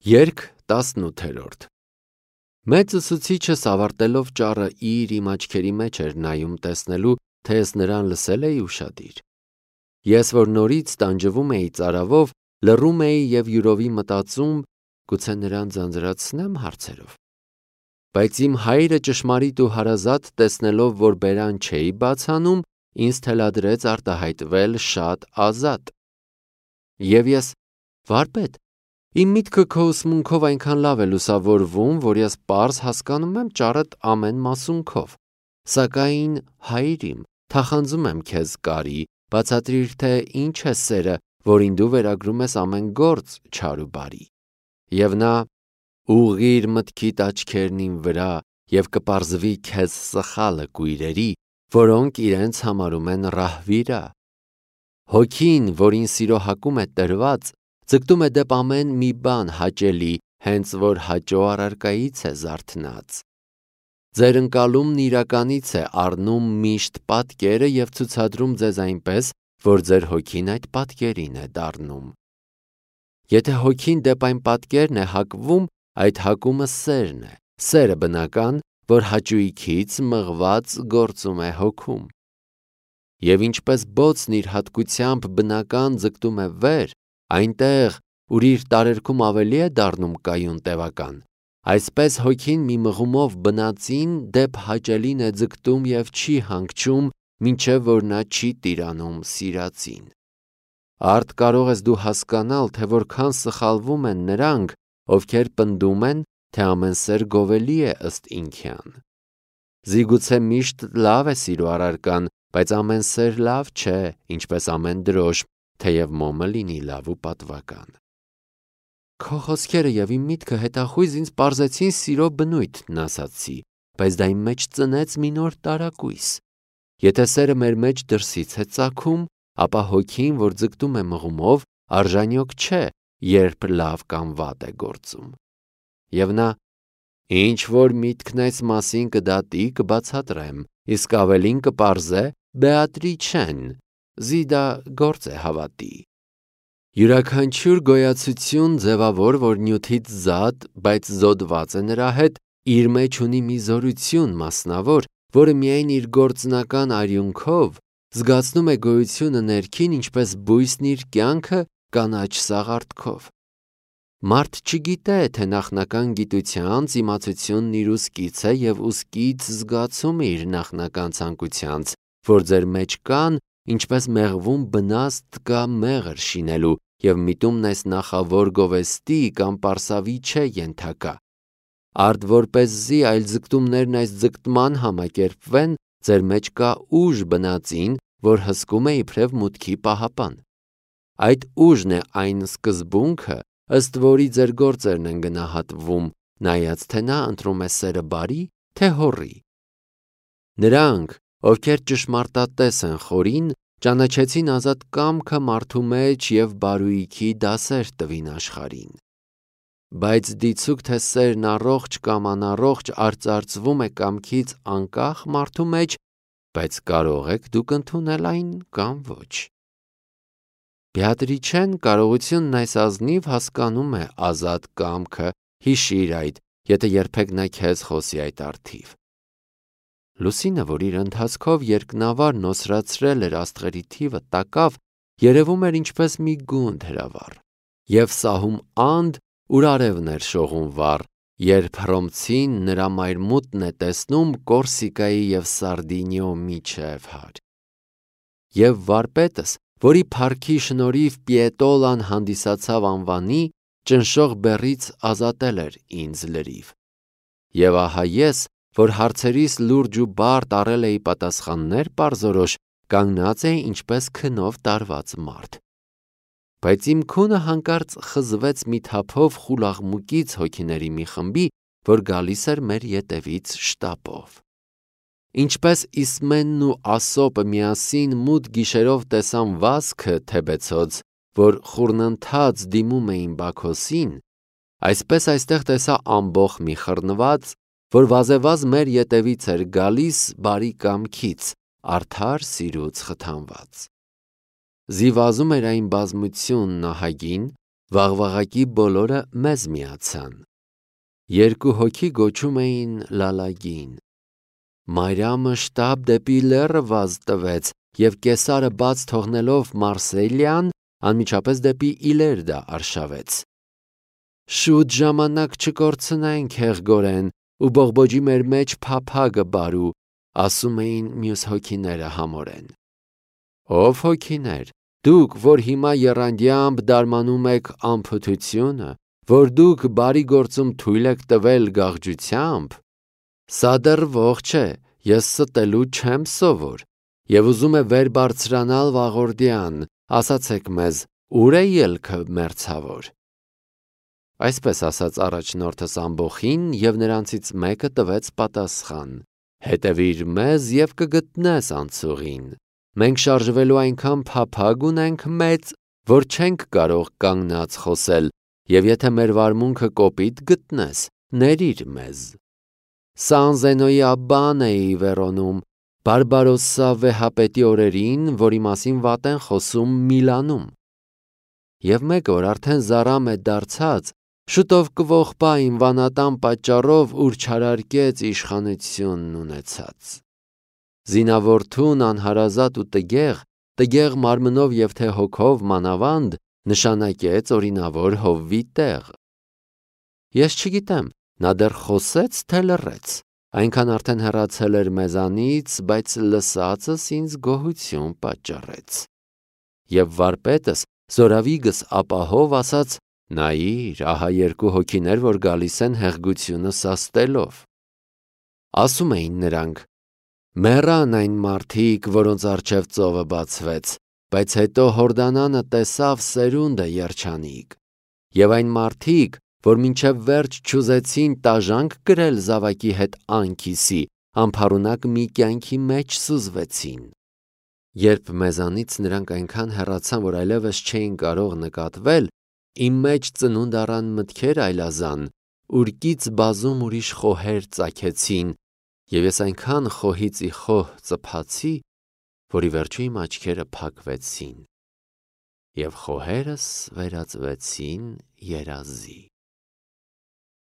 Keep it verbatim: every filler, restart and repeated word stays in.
Երգ տասնութերորդ Մեծ ուսուցիչս ավարտելով ճառը իր իմ աչքերի մեջ էր նայում տեսնելու, թե ես նրան լսել էի ուշադիր։ Ես, որ նորից տանջվում էի ծարավով, լռում էի և յուրովի մտածում, գուցե նրան ձանձրացնեմ հարցերով։ Բայց իմ հայրը ճշմարիտ ու հարազատ տեսնելով, որ բերան չէի բաց անում, ինձ թելադրեց արտահայտվել շատ ազատ։ Եվ ես, վարպետ, իմ միտքը քո ուսմունքով այնքան լավ է լուսավորվում, որ ես պարզ հասկանում եմ ճառդ ամեն մասունքով, սակայն, հայր իմ, թախանձում եմ քեզ կարի, բացատրիր, թե ինչ է սերը, որին դու վերագրում ես ամեն գործ չար ու բարի։ Եվ նա, ուղղիր մտքիդ աչքերն իմ վրա և կպարզվի քեզ սխալը կույրերի, որոնք իրենց համարում են ռահվիրա։ Հոգին, որին սիրո հակում է տրված, ձգտում է դեպ ամեն մի բան հաճելի, հենց որ հաճո առարկայից է զարթնած։ Ձեր ընկալումն իրականից է առնում միշտ պատկերը և ցուցադրում ձեզ այնպես, որ ձեր հոգին այդ պատկերին է դառնում։ Եթե հոգին դեպ այն պատկերն է հակվում, այդ հակումը սերն է, սերը բնական, որ հաճույքից մղված գործում է հոգում։ Եվ ինչպես բոցն իր հատկությամբ բնական ձգտում է վեր, այնտեղ, ուր իր տարերքում ավելի է դառնում կայուն տևական, այսպես հոգին մի մղումով բնածին դեպ հաճելին է ձգտում և չի հանգչում, մինչև որ նա չի տիրանում սիրածին։ Արդ կարող ես դու հասկանալ, թե որքան սխալվում են նրանք, ովքեր պնդում են, թե ամեն սեր գովելի է ըստ ինքյան։ Զիգուցե միշտ լավ է սիրո առարկան, բայց ամեն սեր լավ չէ, ինչպես ամեն դրոշմ, թեև մոմը լինի լավ ու պատվական։ Քո խոսքերը և իմ միտքը հետախույզ ինձ պարզեցին սիրո բնույթն ասացի, բայց դա իմ մեջ ծնեց մի նոր տարակույս։ Եթե սերը մեր մեջ դրսից է ծագում, ապա հոգին, որ ձգտում է մղումով, արժանյոք չէ, երբ լավ կամ վատ է գործում։ Եվ նա, ինչ որ միտքն այս մասին կդատի, կբացատրեմ, իսկ ավելին կպարզե Բեատրիչեն, զիդա գործ է հավատի։ Յուրաքանչյուր գոյացություն ձևավոր, որ նյութից զատ, բայց զոդված է նրա հետ, իր մեջ ունի մի զորություն մասնավոր, որը միայն իր գործնական արյունքով զգացնում է գոյությունը ներքին, ինչպես բույսն իր կյանքը կանաչ սաղարթքով։ Մարդ չգիտե, թե նախնական գիտությանց իմացությունն իր ուսկից է և ուսկից զգացումը իր նախնական ցանկությանց, որ ձեր մեջ կան, ինչպես մեղվում բնաստ կա մեղր շինելու, և միտումն այս նախավոր գովեստի կամ պարսավի չէ ենթակա։ Արդ որպեսզի այլ ձգտումներն այս ձգտման համակերպվեն, ձեր մեջ կա ուժ բնածին, որ հսկում է իբրև մուտքի պահապան։ Այդ ուժն է այն սկզբունքը, ըստ որի ձեր գործերն են գնահատվում, նայած թե նա ընտրում է սերը բարի, թե հոռի։ Նրանք, ովքեր ճշմարտատես են խորին, ճանաչեցին ազատ կամքը մարդու մեջ և բարույքի դասեր տվին աշխարհին։ Բայց դիցուք թե սերն առողջ կամ անառողջ արծարծվում է կամքից անկախ մարդու մեջ, բայց կարող եք դուք ընդունել այն կամ ոչ։ Բեատրիչեն կարողությունն այս ազնիվ հասկանում է ազատ կամքը, հիշիր այդ, եթե երբեք նա քեզ խոսի այդ առթիվ։ Լուսինը, որ իր ընթացքով երկնավար նոսրացրել էր աստղերի թիվը տակավ, երևում էր ինչպես մի գունդ հրավառ, և սահում անդ, ուր արևն էր շողում վառ, երբ հռոմցին նրա մայրմուտն է տեսնում Կորսիկայի և Սարդինիո միջև հար։ Եվ վարպետս, որի փառքի շնորհիվ Պիետոլան հանդիսացավ անվանի, ճնշող բեռից ազատել էր ինձ լրիվ։ Եվ ահա ես, որ հարցերիս լուրջ ու բարդ առել էի պատասխաններ պարզորոշ, կանգնած էի ինչպես քնով տարված մարդ։ Բայց իմ քունը հանկարծ խզվեց մի թափով խուլաղմուկից հոգիների մի խմբի, որ գալիս էր մեր ետևից շտապով։ Ինչպես Իսմենն ու Ասոպը միասին մութ գիշերով տեսան վազքը Թեբեցոց, որ խուռնընթաց դիմում էին Բաքոսին, այսպես այստեղ տեսա ամբոխ մի խռնված, որ վազևազ մեր ետևից էր գալիս բարի կամքից, արդար սիրուց խթանված։ Զի վազում էր այն բազմությունն ահագին, Վաղվաղակի բոլորը մեզ միացան։ Երկու հոգի գոչում էին Լալագին։ Մարիամը շտապ դեպի լեռը վազ տվեց և կեսարը բաց թողնելով Մարսելյան, անմիջապես դեպի Իլերդա արշավեց։ Շուտ ժամանակ չկորցնենք, Հեղգորեն, ու բողբոջի մեր մեջ փափագը բարու, ասում էին մյուս հոգիները համորեն։ Ով հոգիներ, դուք, որ հիմա եռանդյամբ դարմանում եք անփութությունը, որ դուք բարի գործում թույլ եք տվել գաղջությամբ, սա դեռ ողջ է, ես ստելու չեմ սովոր, և ուզում է վեր բարձրանալ վաղորդյան, ասացեք մեզ, ուր է ելքը մերձավոր։ Այսպես ասաց առաջնորդս ամբոխին, և նրանցից մեկը տվեց պատասխան. Հետևիր մեզ և կգտնես անցուղին։ Մենք շարժվելու այնքան փափագ ունենք մեծ, որ չենք կարող կանգնած խոսել, և եթե մեր վարմունքը կոպիտ գտնես, ներիր մեզ։ Սանզենոյի աբբան էի Վերոնում, Բարբարոսսա վեհապետի օրերին, որի մասին վատ են խոսում Միլանում։ Եվ մեկ օր արդեն զառամ է դարձած, շուտով կողպա ինվանատան պատճառով, ուր չարարկեց իշխանությունն ունեցած։ Զինավորթուն անհարազատ ու տգեղ, տգեղ մարմնով և թե հոգով մանավանդ, նշանակեց օրինավոր Հովվի տեղ։ Ես չգիտեմ, նա դեռ խոսեց, թե լռեց, այնքան արդեն հեռացել էր մեզանից, բայց լսածս ինձ գոհություն պատճառեց։ Եվ վարպետս զորավիգս ապահով ասաց. նայիր, ահա երկու հոգիներ, որ գալիս են հեղգությունը սաստելով։ Ասում էին նրանք. մեռան այն մարդիկ, որոնց առջև ծովը բացվեց, բայց հետո Հորդանանը տեսավ սերունդը երջանիկ, և այն մարդիկ, որ մինչև վերջ չուզեցին տաժանք կրել զավակի հետ անքիսի, անփառունակ մի կյանքի մեջ սուզվեցին։ Երբ մեզանից նրանք այնքան հեռացան, որ այլևս չէին կարող նկատվել, իմ մեջ ծնունդ առան մտքեր այլազան, ուրկից բազում ուրիշ խոհեր ծագեցին, և ես այնքան խոհից ի խոհ ծփացի, որ ի վերջո իմ աչքերը փակվեցին, և խոհերս վերածվեցին երազի։